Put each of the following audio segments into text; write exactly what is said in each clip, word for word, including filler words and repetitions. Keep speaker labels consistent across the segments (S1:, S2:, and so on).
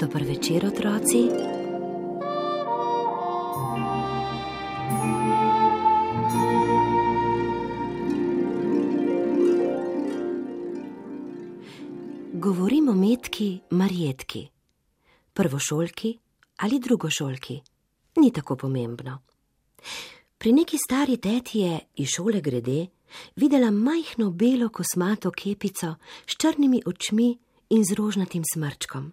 S1: Dober večer, otroci. Govorim o Metki Marjetki, prvošolki ali drugošolki, ni tako pomembno. Pri neki stari teti je iz šole grede videla majhno belo kosmato kepico s črnimi očmi in z rožnatim smrčkom,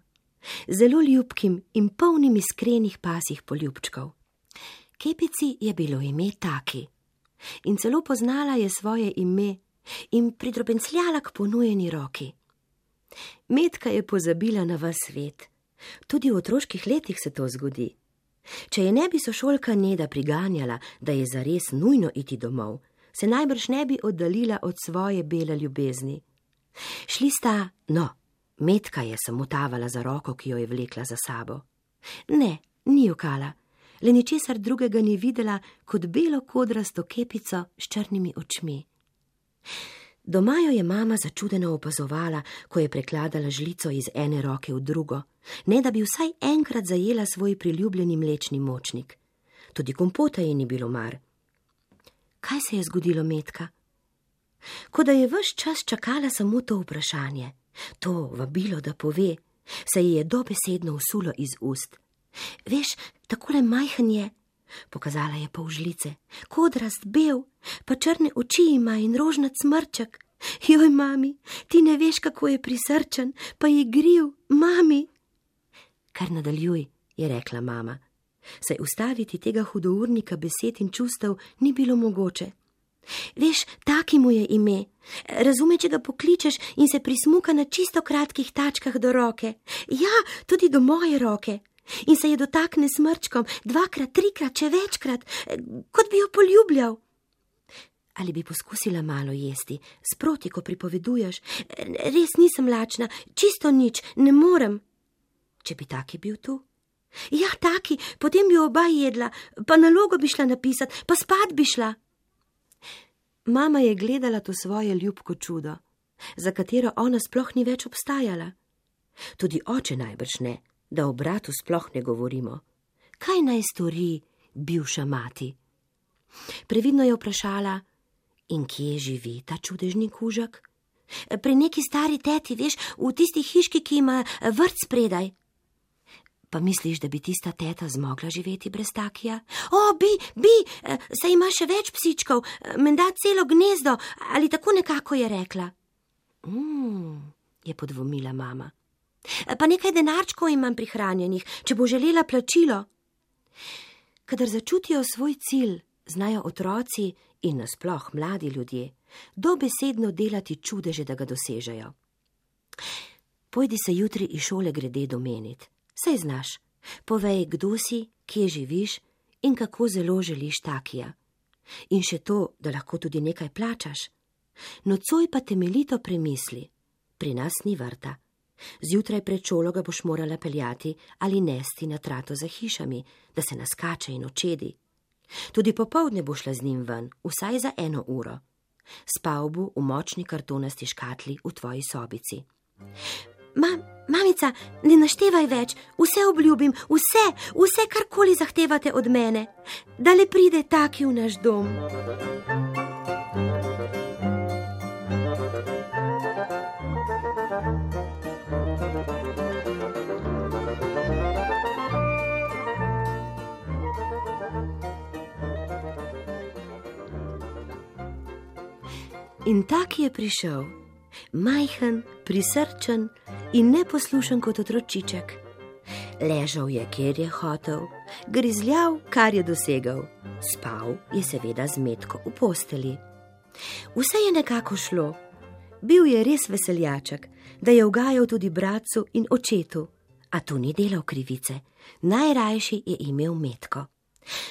S1: zelo ljubkim in polnim iskrenih pasjih poljubčkov. Kepici je bilo ime Taki in celo poznala je svoje ime in pridrobencljala k ponujeni roki. Metka je pozabila na ves svet. Tudi v otroških letih se to zgodi. Če je ne bi sošolka Neda priganjala, da je zares nujno iti domov, se najbrž ne bi oddaljila od svoje bele ljubezni. Šli sta, no, Metka je samo tavala za roko, ki jo je vlekla za sabo. Ne, ni jokala, le ničesar drugega ni videla kot belo kodrasto kepico s črnimi očmi. Doma jo je mama začudeno opazovala, ko je prekladala žlico iz ene roke v drugo, ne da bi vsaj enkrat zajela svoj priljubljeni mlečni močnik. Tudi kompota ji ni bilo mar. Kaj se je zgodilo, Metka? Kot da je ves čas čakala samo to vprašanje, to vabilo, da pove, se ji je dobesedno usulo iz ust. Veš, takole majhen je, pokazala je pol žlice, kodrast, bel, pa črne oči ima in rožnat smrček. Joj, mami, ti ne veš, kako je prisrčen, pa igriv, mami. Kar nadaljuj, je rekla mama, saj ustaviti tega hudournika besed in čustev ni bilo mogoče. Veš, Taki mu je ime, razume, če ga pokličeš in se prismuka na čisto kratkih tačkah do roke. Ja, tudi do moje roke. In se je dotakne smrčkom dvakrat, trikrat, če večkrat, kot bi jo poljubljal. Ali bi poskusila malo jesti, sproti, ko pripoveduješ? Res nisem lačna, čisto nič, ne morem. Če bi Taki bil tu? Ja, Taki, potem bi oba jedla, pa nalogo bi šla napisat, pa spat bi šla. Mama je gledala to svoje ljubko čudo, za katero ona sploh ni več obstajala. Tudi oče najbrž ne, da o bratu sploh ne govorimo. Kaj naj stori bivša mati? Previdno je vprašala, in kje živi ta čudežni kužek? Pri neki stari teti, veš, v tisti hiški, ki ima vrt spredaj. Pa misliš, da bi tista teta zmogla živeti brez Takija? O, bi, bi, saj ima še več psičkov, menda celo gnezdo, ali tako nekako je rekla. Mm, je podvomila mama. Pa nekaj denarčkov imam prihranjenih, če bo želela plačilo. Kadar začutijo svoj cilj, znajo otroci in nasploh mladi ljudje dobesedno delati čudeže, da ga dosežejo. Pojdi se jutri iz šole grede domenit. Saj znaš, povej, kdo si, kje živiš in kako zelo želiš Takija. In še to, da lahko tudi nekaj plačaš. Nocoj pa temeljito premisli, pri nas ni vrta. Zjutraj pred šolo ga boš morala peljati ali nesti na trato za hišami, da se naskače in očedi. Tudi popoldne bo šla z njim ven, vsaj za eno uro. Spal bo v močni kartonasti škatli v tvoji sobici. Ma, mamica, ne naštevaj več, vse obljubim, vse, vse karkoli zahtevate od mene, da le pride Taki v naš dom. In Taki je prišel, majhen, prisrčen in neposlušen kot otročiček. Ležal je, kjer je hotel, grizljal, kar je dosegal. Spal je seveda z Metko v posteli. Vse je nekako šlo. Bil je res veseljaček, da je ugajal tudi bratcu in očetu, A tu ni delal krivice, najrajši je imel metko.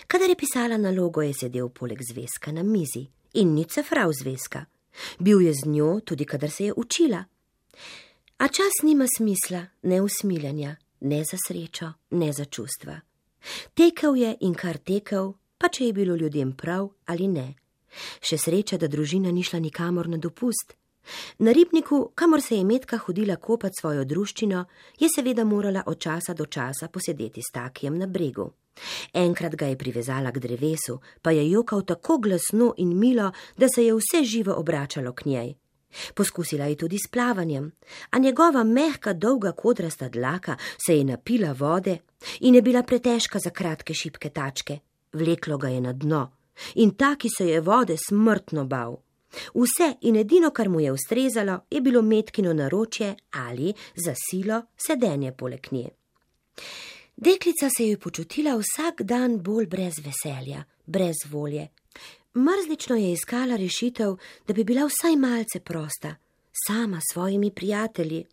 S1: Kadar je pisala nalogo, je sedel poleg zvezka na mizi in ni cefral zvezka. Bil je z njo tudi, kadar se je učila. A čas nima smisla, ne usmiljanja, ne za srečo, ne za čustva. Tekel je in kar tekel, pa če je bilo ljudem prav ali ne. Še sreča, da družina ni šla nikamor na dopust. Na ribniku, kamor se je Metka hodila kopat svojo druščino, je seveda morala od časa do časa posedeti s Takijem na bregu. Enkrat ga je privezala k drevesu, pa je jokal tako glasno in milo, da se je vse živo obračalo k njej. Poskusila je tudi s plavanjem, a njegova mehka, dolga kodrasta dlaka se je napila vode in je bila pretežka za kratke šibke tačke. Vleklo ga je na dno in Taki se je vode smrtno bal. Vse in edino, kar mu je ustrezalo, je bilo Metkino naročje ali za silo sedenje poleg nje. Deklica se je počutila vsak dan bolj brez veselja, brez volje. Mrzlično je iskala rešitev, da bi bila vsaj malce prosta, sama s svojimi prijatelji.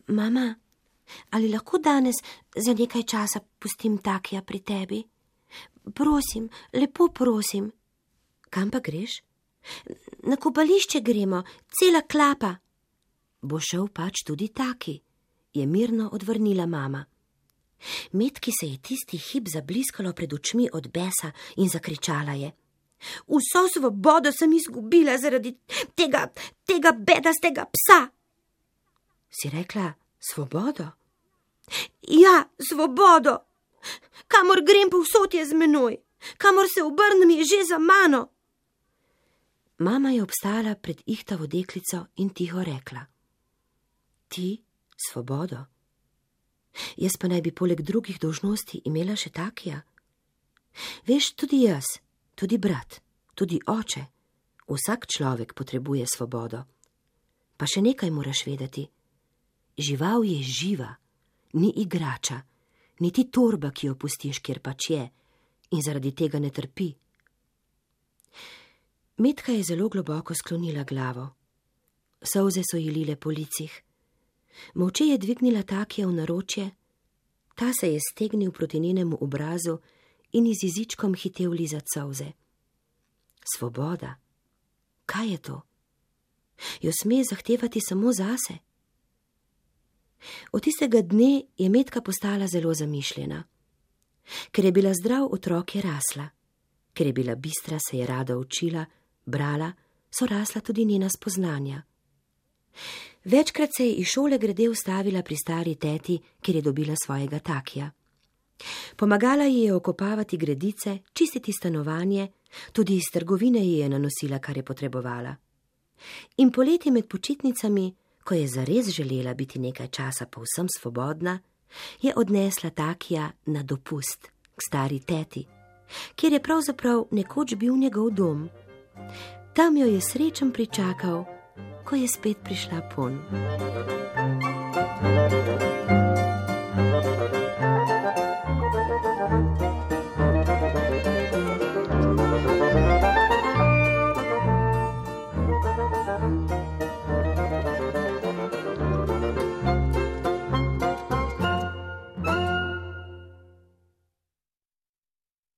S1: Mama, ali lahko danes za nekaj časa pustim Takija pri tebi? Prosim, lepo prosim. Kam pa greš? Na kopališče gremo, cela klapa. Bo šel pač tudi Taki, je mirno odvrnila mama. Metki se je tisti hip zabliskalo pred očmi od besa in zakričala je: Vso svobodo sem izgubila zaradi tega, tega bedastega psa. Si rekla svobodo? Ja, svobodo. Kamor grem, povsod je z menoj. Kamor se obrnem, je že za mano. Mama je obstala pred ihtavo deklico in tiho rekla: Ti svobodo? Jaz pa naj bi poleg drugih dolžnosti imela še Takija. Veš, tudi jaz, tudi brat, tudi oče, vsak človek potrebuje svobodo. Pa še nekaj moraš vedeti. Žival je živa, ni igrača, niti torba, ki jo pustiš, kjer pač je, in zaradi tega ne trpi. Metka je zelo globoko sklonila glavo. Solze so ji lile po licih. Molče je dvignila Takija v naročje, ta se je stegnil proti njenemu obrazu in iz jezičkom hitel lizat solze. Svoboda. Kaj je to? Jo sme zahtevati samo zase? Od tistega dne je Metka postala zelo zamišljena. Ker je bila zdrav otrok, je rasla. Ker je bila bistra, se je rada učila, brala, so rasla tudi njena spoznanja. Večkrat se je iz šole grede ustavila pri stari teti, kjer je dobila svojega Takija. Pomagala ji je okopavati gredice, čistiti stanovanje, tudi iz trgovine ji je nanosila, kar je potrebovala. In poleti med počitnicami, ko je zares želela biti nekaj časa povsem svobodna, je odnesla Takija na dopust k stari teti, kjer je pravzaprav nekoč bil njegov dom. Tam jo je srečen pričakal, ko je spet prišla ponj.